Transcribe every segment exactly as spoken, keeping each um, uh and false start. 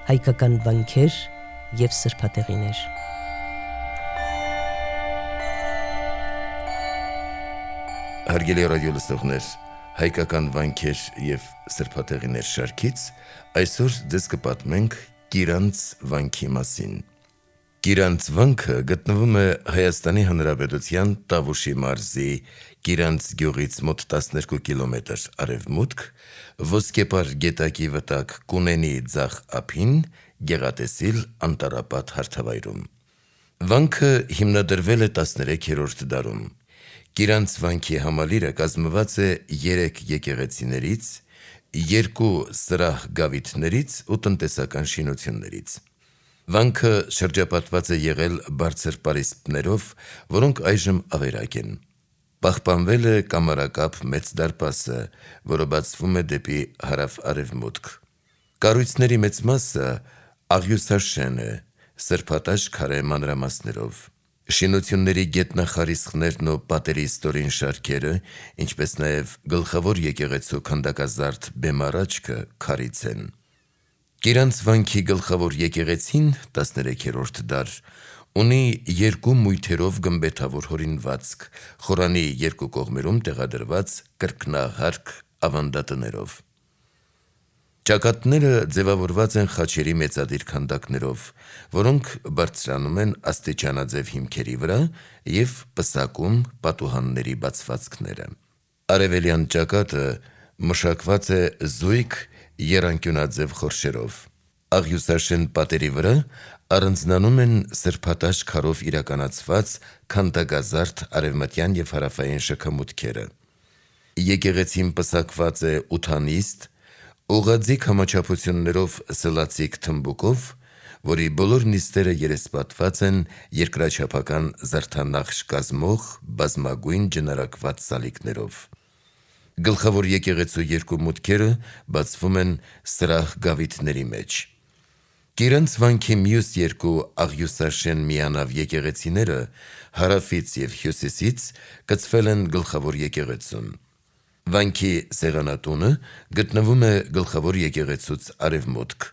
հայկական վանքեր և սրբատեղիներ։ Հարգելի ռադիոլսողներ, հայկական վանքեր և սրբատեղիներ շարքից այսօր ձեզ կպատմենք Կիրանց վանքի մասին։ Կիրանց վանքը գտնվում է Հայաստանի Հանրապետության Տավուշի մարզի Կիրանց գյուղից մոտ տասներկու կիլոմետր արևմուտք, Ոսկեպար գետակի վտակ Կունենի ձախ ափին, գեղատեսիլ անտառապատ հարթավայրում։ Վանքը հիմնադրվել է տասներեքերորդ դարում։ Կիրանց վանքի համալիրը կազմված է երեք եկեղեցիներից, երկու սրահ գավիթներից ու տնտեսական շինություններից։ Վանքը շրջապատված է եղել բարձր պարիսպներով, որոնք այժմ ավերակ են։ Պահպանվել է կամարակապ մեծ դարպասը, որը բացվում է դեպի հարավ-արևմուտք։ Կառույցների մեծ մասը աղյուսաշեն է, սրբատաշ քարե մանրամասներով։ Շինությունների գետնախարիսխներն ու պատերի ստորին շարքերը, ինչպես նաև գլխավոր եկեղեցու քանդակազարդ բեմառաչքը քարից են։ Կիրանց վանքի գլխավոր եկեղեցին տասներեքերորդ դար ունի երկու մույթերով գմբեթավոր հորինվածք, խորանի երկու կողմերում տեղադրված կրկնահարկ ավանդատներով։ Ճակատները ձևավորված են խաչերի մեծադիր քանդակներով, որոնք բարձրանում են աստիճանաձև հիմքերի վրա և պսակում պատուհանների բացվածքները։ Արևելյան ճակատը մշակված է զույգ եռանկյունաձև խորշերով։ Աղյուսաշեն պատերի վրա առանձնանում են սրբատաշ քարով իրականացված քանդակազարդ արևմտյան և հարավային շքամուտքերը։ Եկեղեցին պսակված է ութանիստ, ուղղաձիգ համաչափություններով սլացիկ թմբուկով, որի բոլոր նիստերը երեսպատված են երկրաչափական զարդանախշ կազմող բազմագույն ջնարակված սալիկներով։ Գլխավոր եկեղեցու երկու մուտքերը բացվում են սրահ գավիթների մեջ։ Կիրանց վանքի մյուս երկու աղյուսաշեն միանավ եկեղեցիները հարավից և հյուսիսից կցվել են գլխավոր եկեղեցուն։ Վանքի սեղանատունը գտնվում է գլխավոր եկեղեցուց արևմուտք։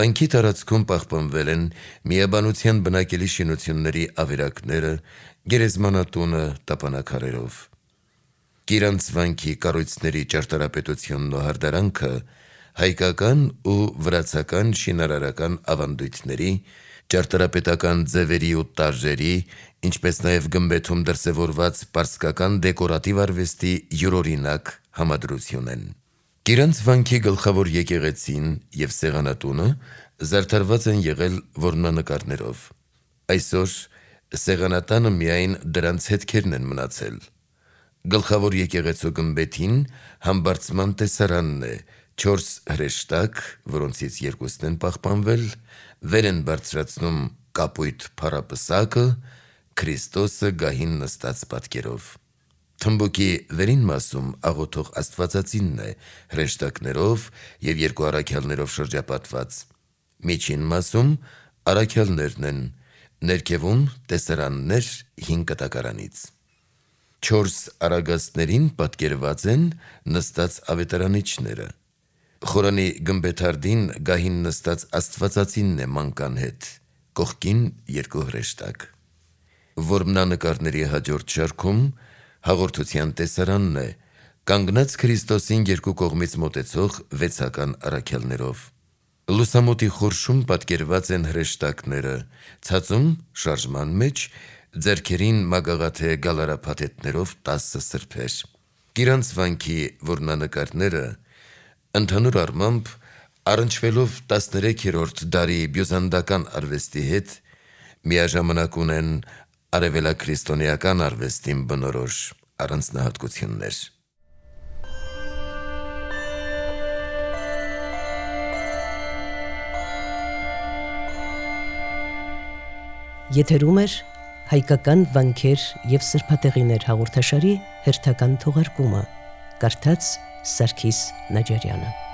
Վանքի տարածքում պահպանվել են միաբանության բնակելի շինությունների ավերակները, գերեզմանատունը տապանաքարերով։ Կիրանց վանքի կառույցների ճարտարապետությունն ու հարդարանքը հայկական ու վրացական շինարարական ավանդույթների, ճարտարապետական ձևերի ու տարրերի, ինչպես նաև գմբեթում դրսևորված պարսկական դեկորատիվ արվեստի յուրօրինակ համադրություն են։ Կիրանց վանքի գլխավոր եկեղեցին և սեղանատունը զարդարված են եղել որմնանկարներով։ Այսօր սեղանատանը միայն դրանց հետքերն են մնացել։ Գլխավոր եկեղեցու գմբեթին համբարձման տեսարանն է, չորս հրեշտակ, որոնցից երկուսն են պահպանվել, վեր են բարձրացնում կապույտ փառապսակը, Քրիստոսը գահին նստած պատկերով։ Թմբուկի վերին մասում աղոթող աստվածածինն է, հրեշտակներով և երկու առաքյալներով շրջապատված։ Միջին մասում առաքյալներն են, ներքևում տեսարաններ հին կտակարանից։ Չորս արագածներին պատկերված են նստած ավետարանիչները։ Խորանի գմբեթարդին գահին նստած աստվածածինն է մանկան հետ, կողքին երկու հրեշտակ։ Որմնանկարների հաջորդ շարքում հաղորդության տեսարանն է, կանգնած Քրիստոսին երկու կողմից մոտեցող վեցական առաքյալներով։ Լուսամուտի խորշում պատկերված են հրեշտակները, ցածում շարժման մեջ ձեռքերին մագաղաթե գալարափաթեթներով տասը սրբեր։ Կիրանց վանքի որմնանկարները ընդհանուր առմամբ առնչվելով տասներեքերորդ դարի բյուզանդական արվեստի հետ միաժամանակ ունեն արևելաքրիստոնեական արվեստին բնորոշ առանձնահատկություններ։ Եթերում էր հայկական վանքեր և սրբատեղիներ հաղորդաշարի հերթական թողարկումը, կարդաց Սարգիս Նաջարյանը։